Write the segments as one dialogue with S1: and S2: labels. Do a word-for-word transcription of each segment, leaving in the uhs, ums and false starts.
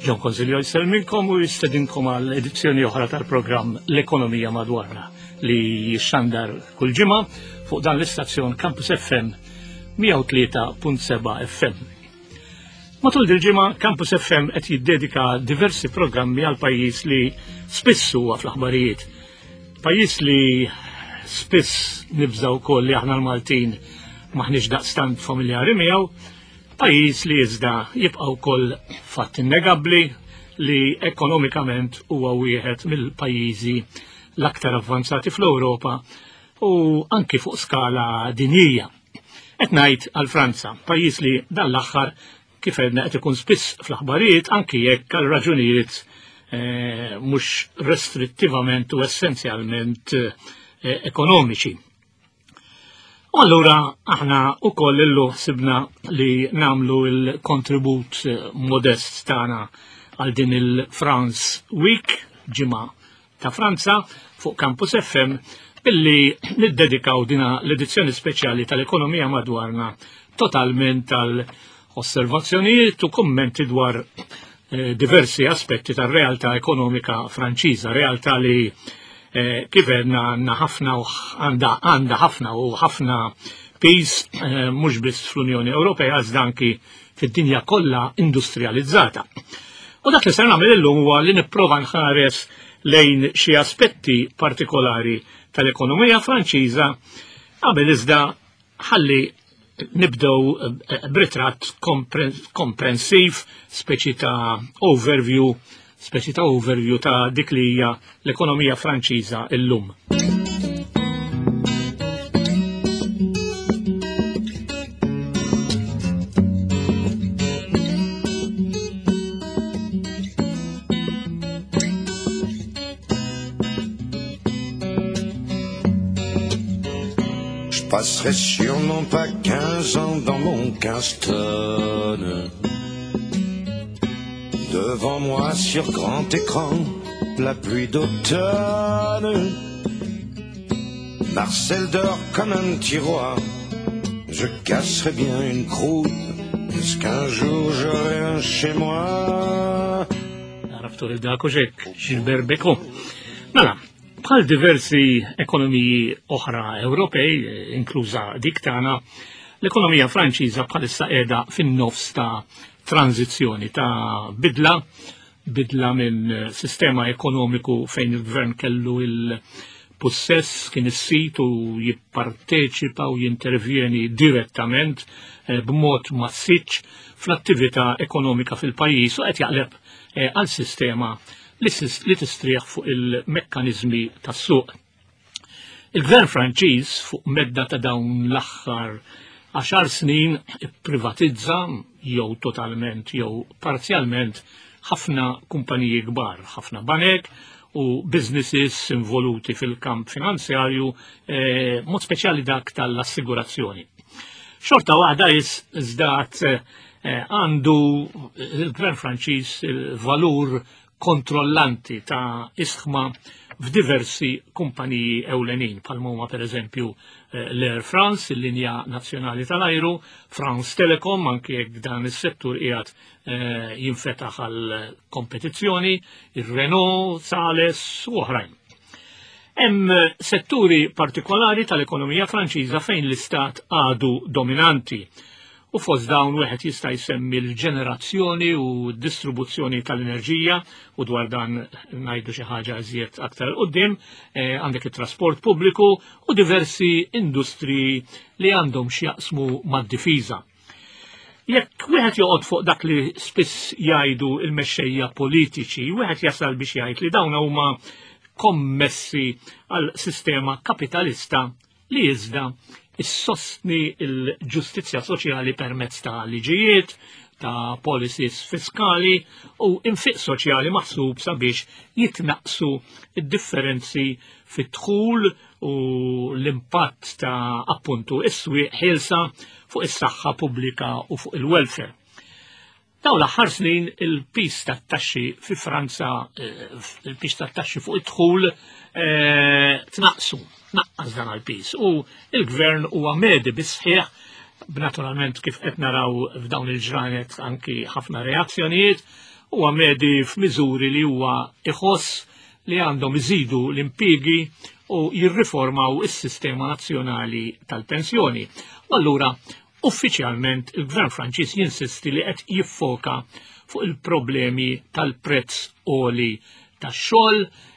S1: John Consiglio jsellmilkom u jistedinkom għal edizzjoni oħra tal-programm L-Ekonomija Madwarna li jixxandar kull ġimgħa fuq dan l-istazzjon Campus F M mija u tlieta punt seba' F M. Matul dil-ġimgħa Campus F M qed jiddedika diversi programmi għal pajjiż li spiss huwa fl-aħbarijiet. Pajjiż li spiss nibżaw wkoll li aħna l-Maltin maħniex daqstant familjari miegħu, pajjiż li iżda jibqa' wkoll fatt innegabbli li ekonomikament huwa wieħed mill-pajjiżi l-aktar avvanzati fl-Ewropa u anki fuq skala dinjija. Qed ngħid għal Franza, pajjiż li dan l-aħħar, kif għedna, qed ikun spiss fl-aħbarijiet, anki jekk għal raġunijiet eh, mhux restrittivament u essenzjalment eh, ekonomiċi. U allura aħna ukoll illum ħsibna li nagħmlu il-kontribut eh, modest tagħna għal din il-France Week, ġimgħa ta' Franza, fuq Campus F M, billi niddedikaw dina l-edizzjoni speċjali tal-Ekonomija Madwarna totalment tal-osservazzjonijiet u kommenti dwar eh, diversi aspetti tar-realtà ekonomika Franċiża, realtà li eh, kif għedna għandna ħafna u għandha għandha ħafna u ħafna piż eh, mhux biss fl-Unjoni Ewropea iżda anki fid-dinja kollha industrializzata. U dak li ser nagħmel illum huwa li nipprova nħares lejn xi aspetti partikolari tal-ekonomija Franċiża. Qabel iżda ħalli nibdew eh, b'ritratt komprensiv, speċi ta' overview, speċi ta' overview ta' dik li hija l-ekonomija Franċiża illum.
S2: Je passerai sûrement pas quinze ans dans mon quinze tonnes. Devant moi sur grand écran, la pluie d'automne. Marcel dort comme un petit roi. Je casserai bien une croûte. Est-ce qu'un jour j'aurai un chez moi?
S1: Għaraftu lil dak hekk, Gilbert Bécaud. Mela, bħal diversi ekonomiji oħra Ewropej, inkluża dik tagħna, l-ekonomija Franċiża bħalissa qiegħda fin-nofs ta' tranzizzjoni, ta' bidla, bidla minn sistema ekonomiku fejn il-gvern kellu il-possess, kien is-sit u jipparteċipa u jintervjeni direttament eh, b'mod massiċ fl-attività ekonomika fil-pajjiż, u qed jaqleb eh, għal sistema li li tistrieħ fuq il-mekkanizmi tas-suq. Il-gvern Franċiż fuq medda ta' dawn l-aħħar għaxar snin privatizza jew totalment jew parzjalment ħafna kumpaniji kbar, ħafna banek u businesses involuti fil-kamp finanzjarju, eh, mod speċjali dak tal-assigurazzjoni. Xorta waħda iżdat eh, għandu il-gvern Franċiż il-valur kontrollanti ta' ishma f'diversi kumpaniji ewlenin, bħal huma per eżempju eh, l-Air France, il-linja nazzjonali tal-ajru, France Telecom, anki jekk dan is-settur qiegħed eh, jinfetaħ għal kompetizzjoni, il-Renault, Thales u oħrajn. Hemm setturi partikolari tal-ekonomija Franċiża fejn l-istat għadu dominanti. U fost dawn wieħed jista' jsemmi l-ġenerazzjoni u d-distribuzzjoni tal-enerġija, u dwar dan ngħidu xi ħaġa iżjed aktar quddiem, eh, għandek it-trasport pubbliku u diversi industriji li għandhom x'jaqsmu mad-difiża. Jekk wieħed joqgħod fuq dak li spiss jgħidu il-mexxejja politiċi, wieħed jasal biex jgħid li dawn huma kommessi għal sistema kapitalista li iżda issostni il-ġustizzja soċjali permezz ta' liġijiet, ta' policies fiskali u infiq soċjali maħsub sabiex jitnaqsu id-differenzi fit-dħul u l-impatt ta' appuntu is-swieq ħielsa fuq is-saħħa pubblika u fuq il-welfare. Dawn l-aħħar snin il-pis tat-taxxi fi Franza, eh, il-pis tat-taxxi fuq id-dħul eh, tnaqsu, naqqas dan il-pis u il-gvern huwa medi bis-sħiħ, b'naturalment kif qed naraw f'dawn il-ġranet anki ħafna reazzjonijiet, Huwa medi f'miżuri li huwa iħoss li għandhom iżidu l-impjiegi u jirriformaw is-sistema nazzjonali tal-pensjoni. U allura uffiċjalment il-Gvern Franċiż jinsisti li qed jiffoka fuq il-problemi tal-prezz għoli tax-xogħol,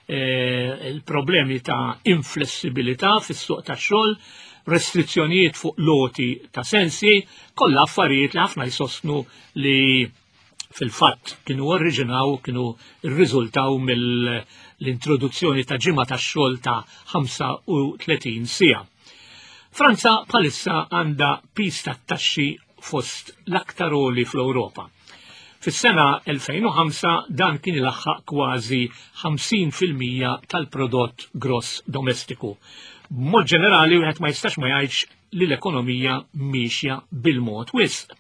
S1: eh, il-problemi ta' inflessibilità fis-suq tax-xogħol, restrizzjonijiet fuq loti ta' sensi, kollha affarijiet li ħafna jsostnu li fil-fatt kienu oriġinaw, kienu rriżultaw mill-introduzzjoni ta' ġimgħa tax-xogħol ta' ħamsa u tletin siegħa. Franza bħalissa għandha piż tat-taxxi fost l-aktar għoli fl-Ewropa. Fis-sena elfejn u ħamsa dan kien ilaħħaq kważi ħamsin fil-mija tal-prodott gross domestiku. B'mod ġenerali wieħed ma jistax ma jgħidx li l-ekonomija miexja bil-mod wisq.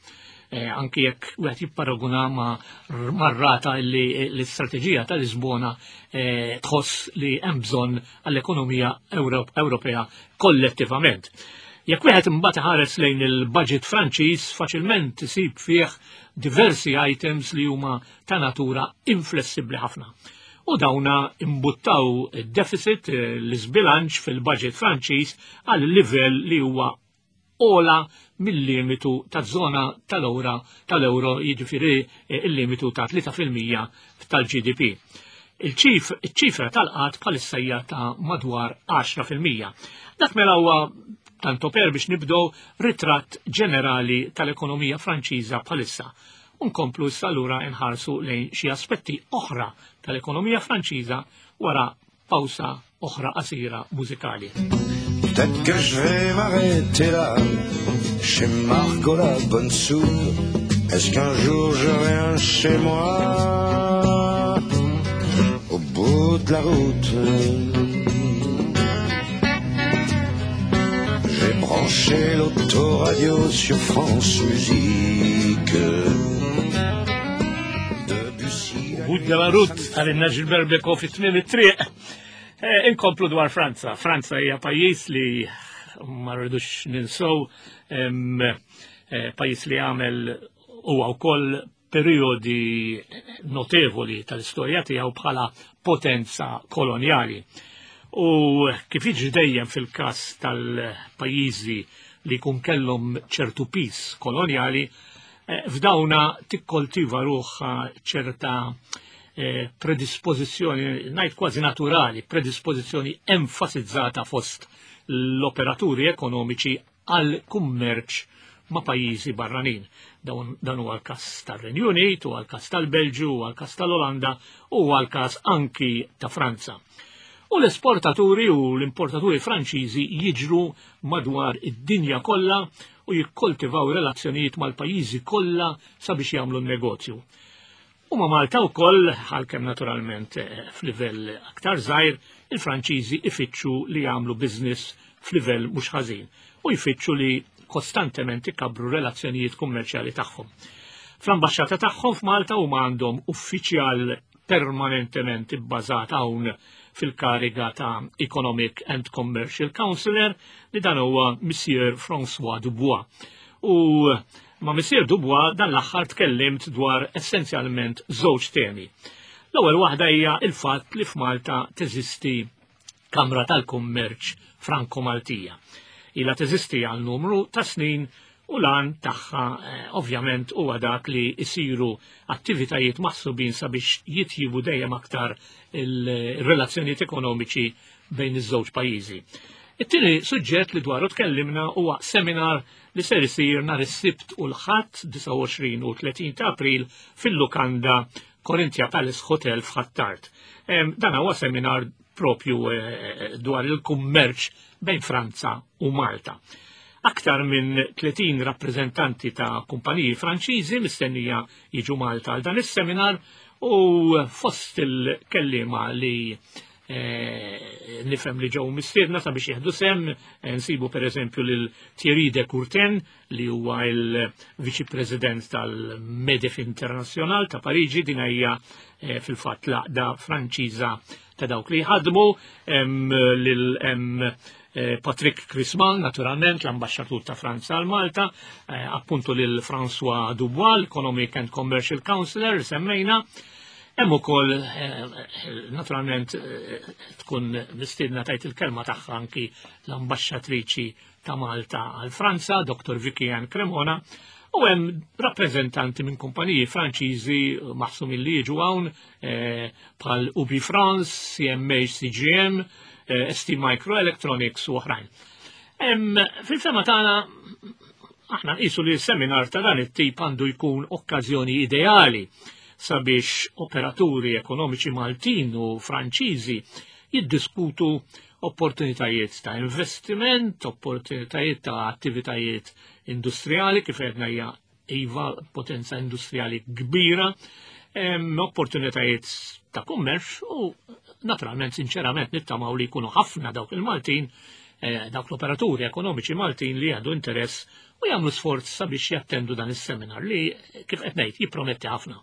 S1: Eh, anki jekk wieħed jipparaguna ma' marrata li l-istrateġija ta' Lisbona, eh, tħoss li hemm bżonn għall-ekonomija Ewrop-, Ewropea kollettivament. Jekk wieħed imbagħad iħares lejn il-budget Franċiż, faċilment isib fih diversi items li huma ta' natura inflessibbli ħafna. U dawna imbuttaw id-deficit, eh, l-iżbilanċ fil-budget Franċiż għal livell li huwa ola mill-limitu ta' zona tal-ewra tal-euro, jiġifieri, eh, il-limitu ta' tlieta fil-mija tal-G D P. Il-ċif-, iċ-ċifra tal-qgħad bħalissa hija ta' madwar għaxra fil-mija. Dak mela huwa tanto per biex nibdew ritratt ġenerali tal-ekonomija Franċiża bħalissa. Unkomplu issa allura nħarsu lejn xi aspetti oħra tal-ekonomija Franċiża wara pawsa oħra qasira mużikali.
S2: Peut-être que je vais m'arrêter là, chez Margot la bonne soupe. Est-ce qu'un jour j'aurai un chez moi au bout de la route? J'ai branché l'autoradio sur France Musique. Debussy,
S1: Au bout de la route, għalinna Gilbert Bécaud fi tmiem it-triq. Eh, inkomplu dwar Franza. Franza hija pajjiż li ma rridux ninsew, em, eh, pajjiż li għamel huwa wkoll periodi notevoli tal-istorja tiegħu bħala potenza kolonjali. U kif jiġri dejjem fil-każ tal-pajjiżi li jkun kellhom ċertu pis kolonjali, eh, f'dawna tikkoltiva ruħha ċerta, eh, predispożizzjoni, ngħid kważi naturali, predispożizzjoni enfasizzata fost l-operaturi ekonomiċi għal kummerċ ma' pajjiżi barranin. Dawn, dan huwa l-każ tar-Renju Unit, huwa l-każ tal-Belġju, huwa l-każ tal-Olanda, huwa l-każ anki ta' Franza. U l-esportaturi u l-importaturi Franċiżi jiġru madwar id-dinja kollha u jikkoltivaw relazzjonijiet mal-pajjiżi kollha sabiex jagħmlu n-negozju. U ma' Malta wkoll, għalkemm naturalment, eh, f'livell aktar żgħir, il-Franċiżi ifittxu li jagħmlu business f'livell mhux ħażin u jfittxu li kostantement ikabru relazzjonijiet kummerċjali tagħhom. Fl-ambaxxata tagħhom f'Malta huma għandhom uffiċjal permanentement ibbażat hawn fil-kariga ta' Economic and Commercial Counselor li dan huwa Monsieur François Dubois. U ma' Monsieur Dubois dan l-aħħar tkellimt dwar essenzjalment żewġ temi. L-ewwel waħda hija il-fatt li f'Malta teżisti Kamra tal-Kummerċ Franco-Maltija. Ilha teżisti għal numru ta' snin u lan tagħha, eh, ovvjament huwa dak li jsiru attivitajiet maħsubin sabiex jitjibu dejjem aktar il-relazzjonijiet ekonomiċi bejn iż-żewġ pajjiżi. It-tieni suġġett li dwaru tkellimna huwa seminar li ser isir nhar is-Sibt u l-Ħadd disgħa u għoxrin u tletin ta' April fil-Lukanda Corinthia Palace Hotel f'Ħ'Attard. Em, dan huwa seminar propju, eh, dwar il-kummerċ bejn Franza u Malta. Aktar minn tletin rappreżentanti ta' kumpaniji Franċiżi mistennija jiġu Malta għal dan is-seminar u fost il-kellima li, eh, nifhem li ġew mistiedna sabiex jieħdu sehem, eh, nsibu pereżempju lil Thierry de Courten li huwa il-Viċi President tal-MEDEF Internazzjonal ta' Pariġi, din hija eh, fil-fatt l-għaqda Franċiża ta' dawk li jħadmu, hemm lil hemm eh, Patrick Crisman, naturalment, l-ambasċatur ta' Franza għal Malta, eh, appuntu lil François Dubois, l-Economic and Commercial Counselor, semmejna. Hemm ukoll eh, naturalment eh, tkun mistiedna tgħid il-kelma tagħha anki l-ambaxxatriċi ta' Malta għal Franza, Dr. Vicky Ann Cremona, u hemm rappreżentanti minn kumpaniji Franċiżi maħsumin li jiġu hawn eh, bħal Ubi France, CMA CGM, eh, ST Microelectronics u oħrajn. Hemm Fil-fehma tagħna aħna nqisu li seminar ta' dan it-tip għandu jkun okkażjoni ideali sabiex operaturi ekonomiċi Maltin u Franċiżi jiddiskutu opportunitajiet ta' investiment, opportunitajiet ta' attivitajiet industrijali, kif għedna hija iva potenza industrijali kbira, em, opportunitajiet ta' kummerċ u naturalment, sinċerament, nittamaw li jkunu ħafna dawk il-Maltin, eh, dawk l-operaturi ekonomiċi Maltin li għandu interess u jagħmlu sforz sabiex jattendu dan is-seminar li kif qed ngħid jipprometti ħafna.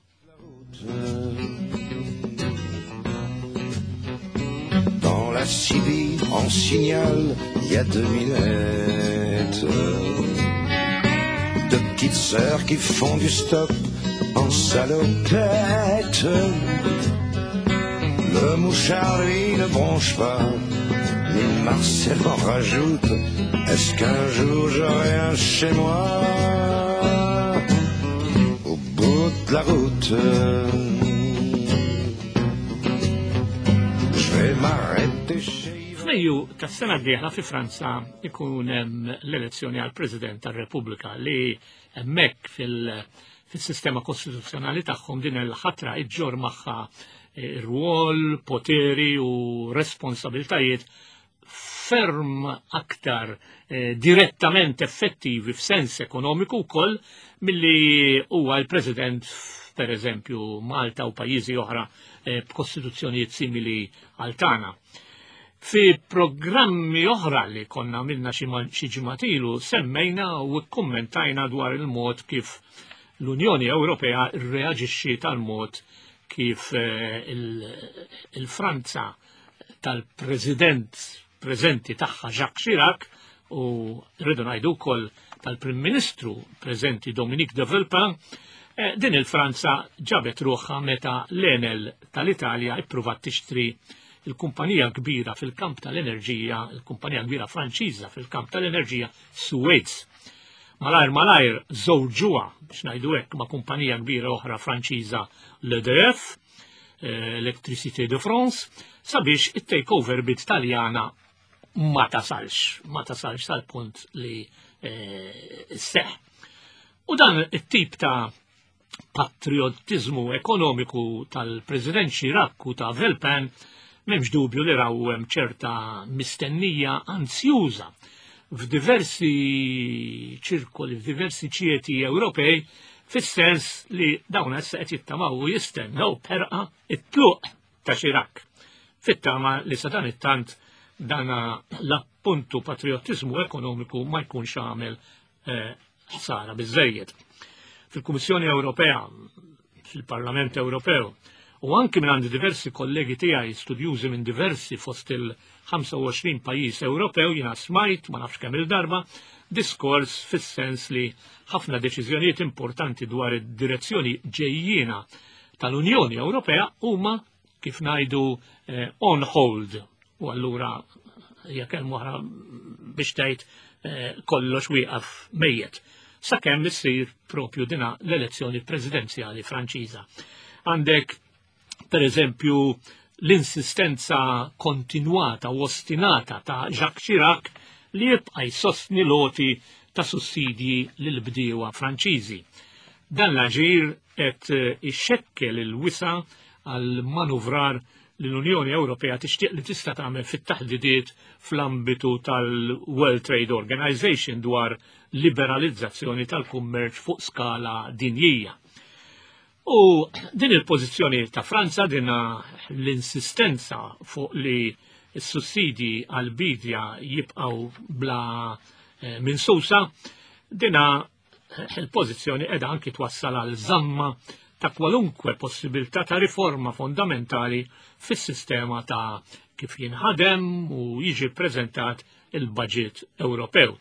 S2: Dans la Cibie, en signal, il y a deux minettes. Deux petites sœurs qui font du stop en salopette. Le mouchard, lui, ne bronche pas, ni Marcel en rajoute. Est-ce qu'un jour j'aurai un chez moi au bout de la route? Je vais m'arrêter chez
S1: F'Mejju tas-sena d-dieħla fi Franza ikun hemm l-elezzjoni għal President tar-Repubblika li hemmhekk fil- fis-sistema kostituzzjonali tagħhom din il-ħatra iġġor magħha eh, rwol, poteri u responsabiltajiet ferm aktar eh, direttament effettivi f'sens ekonomiku wkoll milli huwa l-President per eżempju Malta u pajjiżi oħra eh, b'kostituzzjonijiet simili għal tagħna. Fi programmi oħra li konna għamilna xi ma- xi ġimgħat ilu semmejna u kkummentajna dwar il-mod kif l-Unjoni Ewropea rreaġixxi tal-mod kif eh, il- il-Franza tal-President preżenti tagħha Jacques Chirac u rridu ngħidu wkoll tal-Prim Ministru preżenti Dominique de Villepin, eh, din il-Franza ġabet ruħha meta l-Enel tal-Italja ippruvat tixtri il-kumpanija kbira fil-kamp tal-enerġija, il-kumpanija kbira Franċiża fil-kamp tal-enerġija Suez. Malajr malajr żewġuha biex ngħidu hekk ma' kumpanija kbira oħra Franċiża l-E D F, eh, Electricité de France, sabiex it-takeover bid Taljana ma tasalx, ma tasalx sal-punt li eh, seħ. U dan it-tip ta' patriotizmu ekonomiku tal-President Chirac u ta' Villepin m'hemmx dubju li raw hemm ċerta mistennija ansjuża f'diversi ċirkoli, f'diversi ċieti Ewropej, fis-sens li dawn issa qed jittamaw u jistennew b'ħerqa it-tluq ta' Chirac. Fit-tama li sa dan it-tant dana l-appuntu patriotizmu ekonomiku ma jkunx għamel eh, ħsara biżejjed. Fil-Kummissjoni Ewropea, fil-Parlament Ewropew, u anki minn għandi diversi kollegi tiegħi studjużi minn diversi fost il-ħamsa u għoxrin pajjiż Ewropew jiena smajt, ma nafx kemm il-darba, diskors fis-sens li ħafna deċiżjonijiet importanti dwar id-direzzjoni ġejjiena tal-Unjoni Ewropea huma kif ngħidu eh, on hold. U allura hija kelma oħra biex tgħid eh, kollox wieqaf mejjet. Sakemm issir propju dina l-elezzjoni presidenzjali Franċiża. Għandek per eżempju l-insistenza kontinuata u ostinata ta' Jacques Chirac li jibqa' jsostni l-għoti ta' sussidji lil bdiewa Franċiżi. Dan l-aġir qed ixxekkel il-wisa għal manuvrar li l-Unjoni Ewropea tixtieq li tista' tagħmel fit-taħdidiet fl-ambitu tal-World Trade Organization dwar liberalizzazzjoni tal-kummerċ fuq skala dinjija. U din il-pożizzjoni ta' Franza, din l-insistenza fuq li s-sussidi għal-bidja jibqaw bla eh, minsusa, dina eh, il-pożizzjoni qiegħda anki twassal għal żamma ta' kwalunkwe possibilità ta' riforma fondamentali fis-sistema ta' kif jinħadem u jiġi preżentat il-budget Ewropew.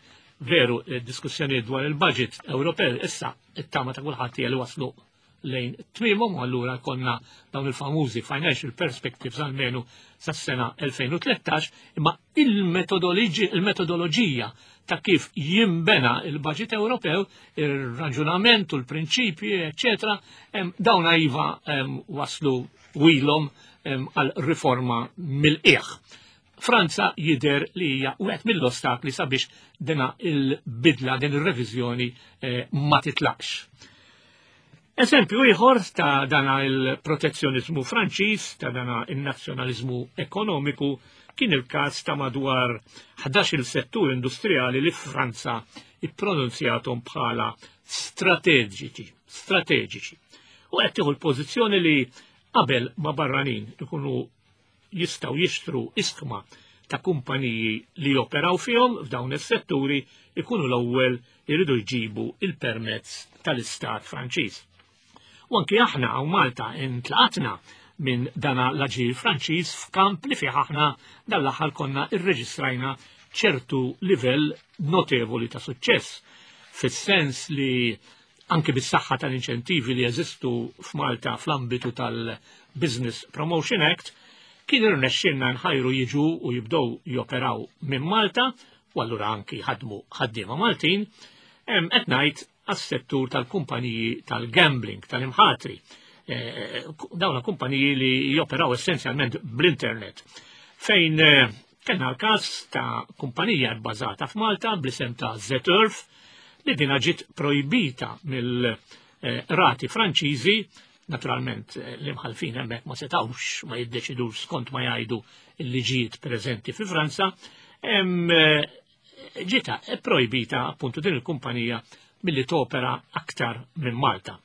S1: Veru, diskussjoni dwar il-budget Ewropew issa it-tama ta' kulħadd li waslu lejn tmiemhom u allura konna dawn il-famużi financial perspectives almenu sas-sena elfejn u tlettax, imma il-metodoloġija ta' kif jimbena il-budget Ewropew, ir-raġunament u l-prinċipji, eċċetera, dawn iva waslu wilhom għal riforma mill-qiegħ. Franza jider li hija wieħed mill-ostakli sabiex dina il-bidla, din ir-reviżjoni eh, ma titlaqx. Eżempju ieħor ta' dana il-protezzjonizmu Franċiż, ta' dana il-nazzjonalizmu ekonomiku, kien il-każ ta' madwar ħdax-il settur industrijali li Franza ippronunzjatom bħala strateġiċi, strateġiċi. U qed tieħu l-pożizzjoni li qabel ma barranin ikunu jistgħu jixtru iskma ta' kumpaniji li joperaw fihom f'dawn is-setturi ikunu l-ewwel iridu jġibu il-permezz tal-Istat Franċiż. U anki aħna hawn Malta intlaqatna minn dana l-aġir Franċiż f'kamp li fih aħna dan l-aħħar konna irreġistrajna ċertu livell notevoli ta' suċċess, fis-sens li anke bis-saħħa tal-inċentivi li jeżistu f'Malta fl-ambitu tal-Business Promotion Act, kien irnexxielna nħajru jiġu u jibdew joperaw minn Malta, u allura anki ħadmu ħaddiema Maltin, qed ngħid għas-settur tal-kumpaniji tal-gambling, tal-imħatri. Dawna kumpaniji li joperaw essenzjalment bl-internet. Fejn kellna l-każ ta' kumpanija bbażata f'Malta bl-isem ta' ZEturf li dina ġiet projbita mill-rati Franċiżi. Naturalment l-imħalfin hemmhekk ma setgħux ma jiddeċidux skont ma jgħidu l-liġijiet preżenti fi Franza, ġieta projbita appuntu din il-kumpanija milli topera aktar minn Malta.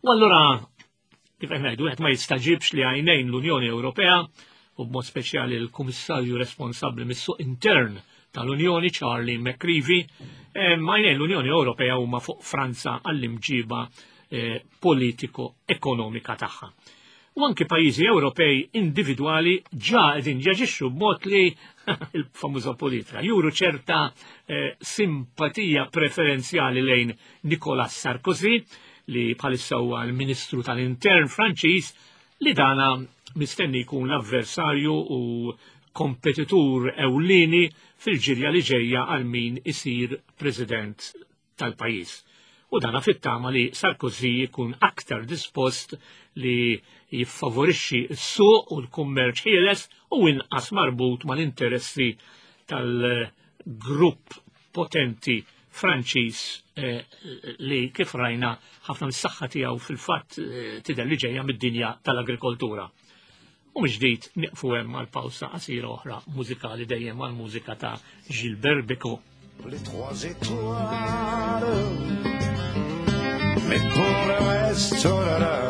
S1: U allura, kif qed ngħidu, qed ma jistaġibx li għajnejn l-Unjoni Ewropea u b'mod speċjali l-Kummissarju responsabbli mis-suq intern tal-Unjoni, Charlie McCreevy, għajnejn l-Unjoni Ewropea huma fuq Franza għall-imġiba politiko-ekonomika tagħha. U anki pajjiżi Ewropej individwali ġa qegħdin jaġixxu b'mod li il-famuża politika juru ċerta eh, simpatija preferenzjali lejn Nicolas Sarkozy, li bħalissa huwa l-Ministru tal-Intern Franċiż, li dana mistenni jkun l-avversarju u kompetitur ewlieni fil-ġirja li ġejja għal min isir President tal-pajjiż. U dana fit-tama li Sarkozy jkun aktar dispost li jiffavorixxi s-suq u l-kummerċ ħieles u inqas marbut mal-interessi tal-grupp potenti Franċiż eh, li kif rajna ħafna mis-saħħa tiegħu fil-fatt eh, tidher li ġejja mid-dinja tal-agrikoltura. U mhux ġdid nieqfu hemm għal pawsa qasira oħra mużikali dejjem għall-mużika ta' Gilbert Bécaud.
S2: Les trois étoiles, mais pour le reste, oh là là,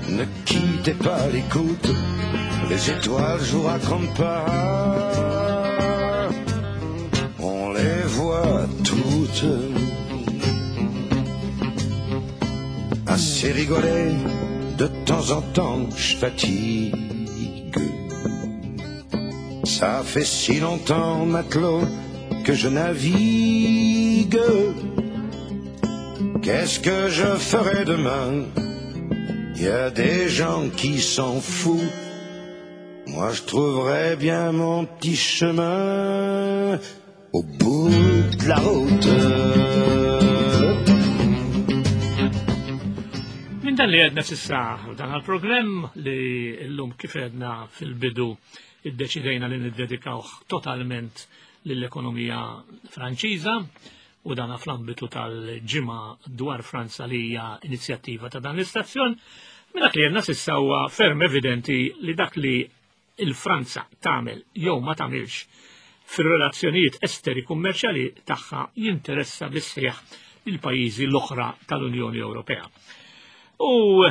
S2: ne quittez pas l'écoute, les étoiles, je vous raconte pas, on les voit toutes. Assez rigolé, de temps en temps, je fatigue. Ça fait si longtemps, matelot, que je navigue. Qu'est-ce que je ferai demain? Y a des gens qui s'en foutent. Moi je trouverai bien mon petit chemin au bout de la route.
S1: Min dan li għedna s'issa dan għal-programm li llum kif għedna fil-bidu iddeċidejna li niddedikawh totalment lill-ekonomija Franċiża u dan fl-ambitu tal-ġimgħa dwar Franza li hija inizjattiva ta' dan l-istazzjon, minn dak li għedna s'issa huwa ferm evidenti li dak li il-Franza tagħmel jew ma tagħmilx fir-relazzjonijiet esteri kummerċjali tagħha jinteressa bisħieħ il-pajjiżi l-oħra tal-Unjoni Ewropea. U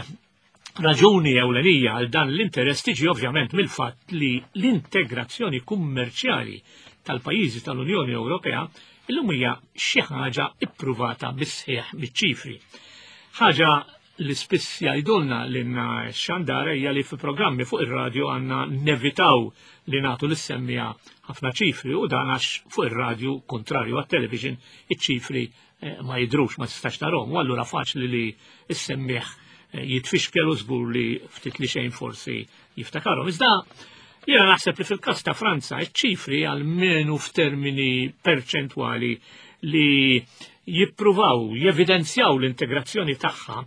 S1: raġuni ewlenija għal dan l-interess tiġi ovvjament mill-fatt li l-integrazzjoni kummerċjali tal-pajjiżi tal-Unjoni Ewropea illum hija xi ħaġa ippruvata bis-sħiħ biċ-ċifri. Ħaġa li spiss jgħidulna lilna x-xandara hija li fi programmi fuq ir-radju għandna nevitaw li nagħtu lis-semmiegħa ħafna ċifri, u dan għax fuq ir-radju, kontrarju għat-television, iċ-ċifri eh, ma jidrux, ma tistax tarahom, u allura faċli li s-semmiegħ eh, jitfixkel u żgur li ftit li xejn forsi jiftakarhom. Iżda jiena naħseb li fil-każ ta' Franza iċ-ċifri għalmenu f'termini perċentwali li jippruvaw, jevidenzjaw l-integrazzjoni tagħha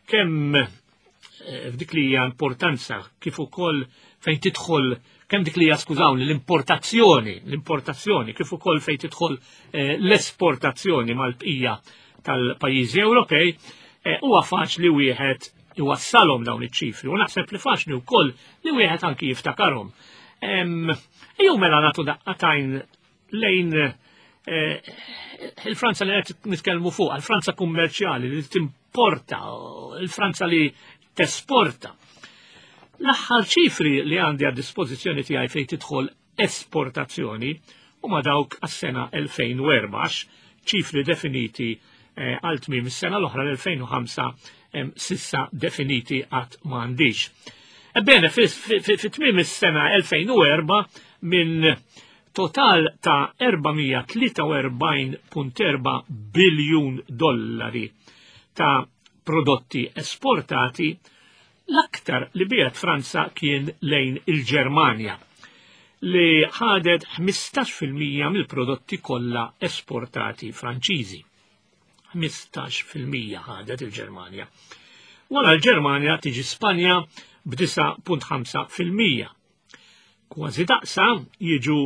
S1: kemm eh, f'dik li hija importanza kif ukoll fejn tidħol, kemm dik li hija, skużawni, l-importazzjoni, l-importazzjoni kif ukoll fejn tidħol eh, l-esportazzjoni mal-bqija tal-pajjiżi Ewropej, eh, huwa faċli wieħed iwassalhom dawn iċ-ċifri u naħseb li faċli wkoll li wieħed anki jiftakarhom. Ejjew mela nagħtu daqqa t'għajn lejn il-Franza li qed nitkellmu fuq, il-Franza kummerċjali li timporta, il-Franza li tesporta. L-aħħar ċifri li għandi għad dispożizzjoni tiegħi fejn tidħol esportazzjoni huma dawk għas-sena elfejn u erbgħax, ċifri definiti għal tmiem is-sena l-oħra l-elfejn u ħamsa sissa definiti għad m'għandix. Ebbene, fi tmiem is-sena elfejn u erbgħa minn total ta' erba' mija tlieta u erbgħin punt erba' biljun dollari ta' prodotti esportati, l-aktar li biegħet Franza kien lejn il-Ġermanja, li ħadet ħmistax fil-mija mill-prodotti kollha esportati Franċiżi. ħmistax fil-mija ħadet il-Ġermanja. Wara l-Ġermanja tiġi Spanja b'disa punt ħamsa fil-mija. Kważi daqsa jiġu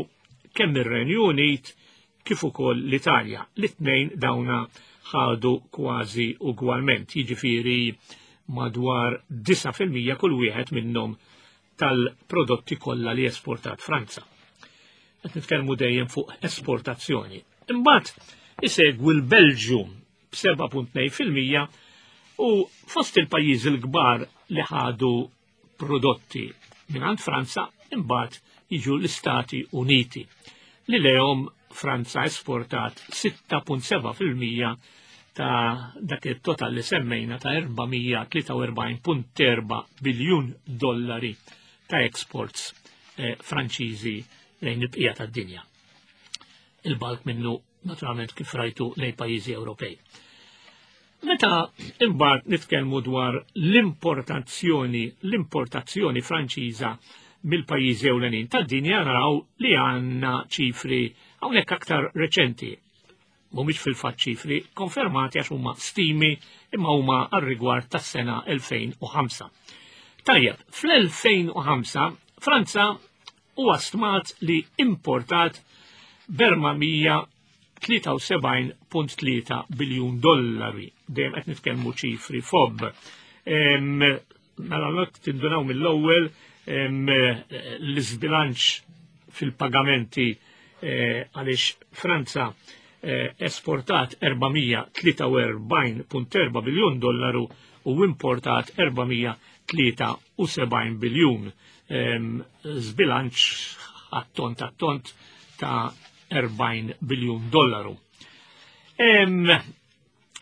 S1: kemm ir-Renju Unit kif ukoll l-Italja. L-itnejn dawna ħadu kważi ugwalment, jiġifieri madwar disa fil-mija kull wieħed minnhom tal-prodotti kollha li esportat Franza. Qed nitkellmu dejjem fuq esportazzjoni. Imbagħad isegwi l-Belġju b'seba' punt tnejn fil-mija u fost il-pajjiżi l-kbar li ħadu prodotti mingħand Franza imbagħad jiġu l-Istati Uniti, li lehom Franza esportat sitta punt seba' fil-mija ta' dak it-total li semmejna ta' erba' mija tlieta u erbgħin punt erba' biljun dollari ta' exports, eh, Franċiżi lejn il-bqija tad-dinja. Il-balk minnu naturalment kif rajtu lejn pajjiżi Ewropej. Meta imbagħad nitkellmu dwar l-importazzjoni, l-importazzjoni Franċiża mill-pajjiżi ewlenin tad-dinja, naraw li għandna ċifri hawnhekk aktar reċenti. Mhumiex fil-fatt ċifri konfermati għax huma stimi imma huma għar-rigward tas-sena elfejn u ħamsa. Tajjeb, fl-elfejn u ħamsa Franza huwa stmat li importat b'erba' mija tlieta u sebgħin punt tlieta biljun dollari. Dejjem qed nitkellmu ċifri fob. Em, mela l tindunaw mill-ewwel, em, l-iżbilanċ fil-pagamenti, eh, għaliex Franza, eh, esportat erba' mija tlieta u erbgħin punt erba' biljun dollaru u importat erba' mija tlieta u sebgħin biljun. Em, żbilanċ għat-tont għat-tont ta' erbgħin biljun dollaru. Em,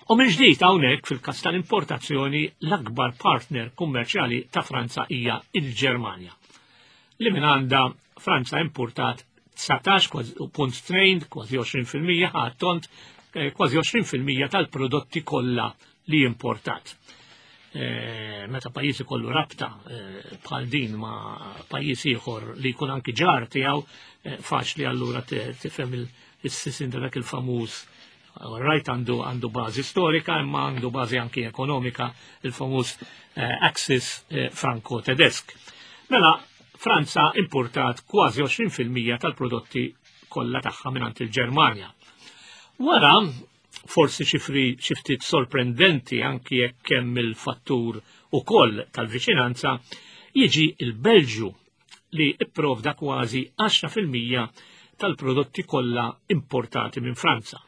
S1: u minn ġdid hawnhekk fil-każ tal-importazzjoni l-akbar partner kummerċjali ta' Franza hija il-Ġermanja, li minn għandha Franza importat dsatax punt tnejn, kważi għoxrin fil-mija, għat-tont, eh, kważi għoxrin fil-mija tal-prodotti kollha li importat. Eh, meta pajjiż ikollu rabta, eh, bħal din ma' pajjiż ieħor li jkun anki ġar tiegħu, eh, faċli allura te-, tifhem il-, is-sisin ta' dak il-famuż. Rajt għandu, għandu bażi storika imma għandu bażi anki ekonomika, il-famuż, eh, axis, eh, franco-tedesk. Mela Franza importat kważi għoxrin fil-mija tal-prodotti kollha tagħha mingħand il-Ġermanja. Wara, forsi ċifri xi ftit sorprendenti anki jekk hemm il-fattur ukoll tal-viċinanza, jiġi il-Belġju li ipprovda kważi għaxra fil-mija tal-prodotti kollha importati minn Franza.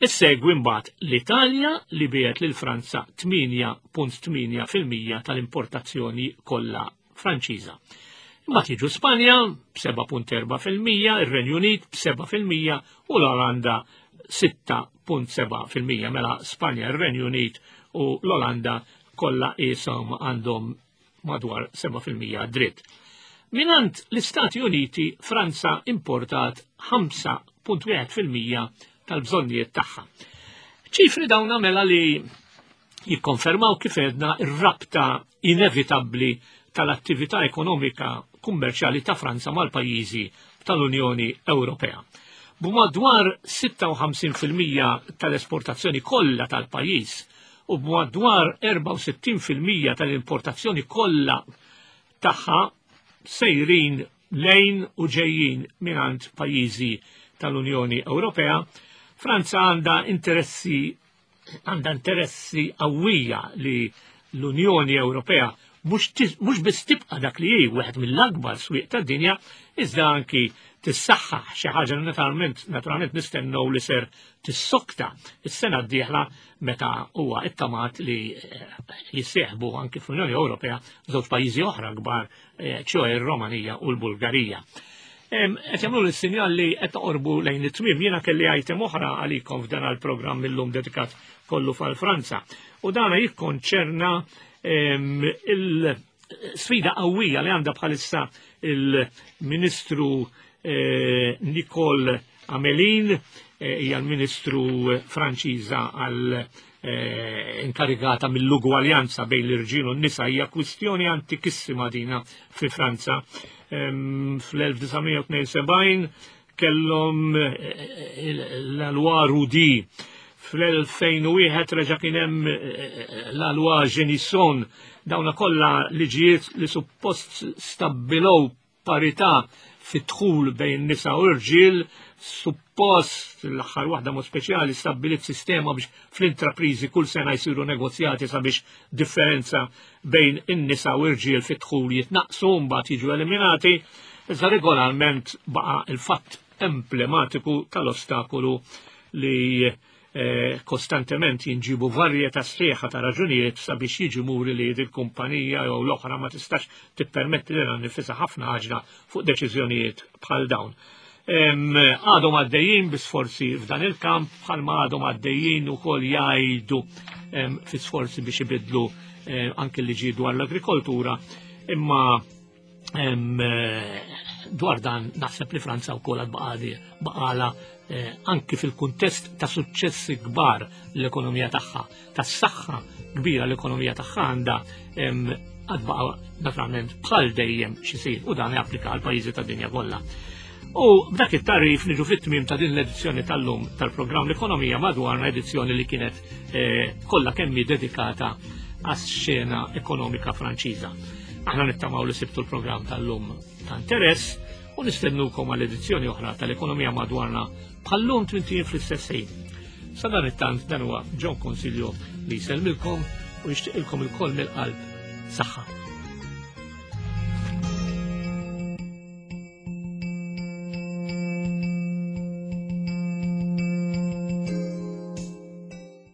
S1: Issegwi mbagħad l-Italja li biegħet lil Franza tmienja punt tmienja fil-mija tal-importazzjoni kollha Franċiża. Imbagħad jiġu Spanja b'sebgħa punt erbgħa fil-mija, ir-Renju Unit b'sebgħa fil-mija u l-Olanda sitta punt sebgħa fil-mija. Mela Spanja, ir-Renju Unit u l-Olanda kollha qishom għandhom madwar sebgħa fil-mija dritt. Minant l-Istati Uniti, Franza importat ħamsa punt wieħed fil-mija tal-bżonnijiet tagħha. Ċifri dawn mela li jikkonfermaw, kif għedna, ir-rabta inevitabbli tal-attività ekonomika kummerċjali ta' Franza mal-pajjiżi tal-Unjoni Ewropea. B'madwar sitta u ħamsin fil-mija tal-esportazzjoni kollha tal-pajjiż u b'madwar erbgħa u sittin fil-mija tal-importazzjoni kollha tagħha sejrin lejn u ġejjin mingħand pajjiżi tal-Unjoni Ewropea, Franza għandha interessi għandha interessi qawwija li l-Unjoni Ewropea mhux biss tibqa' dak li hi, wieħed mill-akbar swieq tad-dinja, iżda anki tissaħħaħ, xi ħaġa naturalment naturalment nistennew li ser tissokta is-sena d-dieħla meta huwa ittamat li eh, jissieħbu anki fl-Unjoni Ewropea żewġ pajjiżi oħra kbar, eh, ċoè r-Romanija u l-Bulgarija. Qed jagħmlu l-sinjal li qed toqorbu lejn it-tmiem. Jiena kelli item oħra għalikom f'dan il-programm illum dedikat kollu fal-Franza. U dana jikkonċerna il-sfida qawwija li għandha bħalissa il-Ministru eh, Nicole Amelin, eh, hija l-Ministru Franċiża għal eh, inkarigata mill-ugwaljanza bejn l-irġiel u n-nisa. Hija kwistjoni antikissima dina fi Franza. Fl-elf disa' mija tnejn u sebgħin kellhom la loi Roudy, fl-elfejn u wieħed reġa' kien hemm la loi Génisson, dawna kollha liġijiet li suppost stabbilow parità fit-dħul bejn nisa u rġiel, suppost l-aħħar waħda mod speċjali stabbilit sistema biex fl-intraprizi kull sena jsiru negozjati sabiex differenza bejn in-nisa u rġiel fit-dħul jitnaqsu, mbagħad jiġu eliminati, iżda regolarment baqa' il-fatt emblematiku tal-ostakolu li eh, kostantement jinġibu varjetà sħiħa ta' raġunijiet sabiex jiġi muri li il-kumpanija jew l-oħra ma tistax tippermetti lilha nifisha ħafna ħaġa fuq deċiżjonijiet bħal dawn. Għadhom għaddejjin bi sforzi f'dan il-kamp, bħalma għadhom għaddejjin ukoll jgħidu fi sforzi biex ibidlu eh, anke liġi dwar l-agrikoltura, imma dwar dan naħseb li Franza wkoll baqala eh, anki fil-kuntest ta' suċċessi kbar l-ekonomija tagħha, tas-saħħa kbira l-ekonomija tagħha għandha, għad baqa' naturalment bħal dejjem xisir u dan japplika għal pajjiżi tad-dinja kollha. U b'dak it-tarif niġu fit-tmiem ta' din l-edizzjoni tal-lum tal-programm L-Ekonomija Madwarna, edizzjoni li kienet eh, kollha kemm dedikata għas-xena ekonomika Franċiża. Aħna nittamaw li sibtu l-programm tal-lum ta' interess u nistennukom għal edizzjoni oħra tal-Ekonomija Madwarna bħal-lum tmint ijiem fl-istess ħin. Sa dan it-tant, dan huwa John Consiglio li jsellmilkom u jixtieqilkom ilkoll mill-qalb saħħa.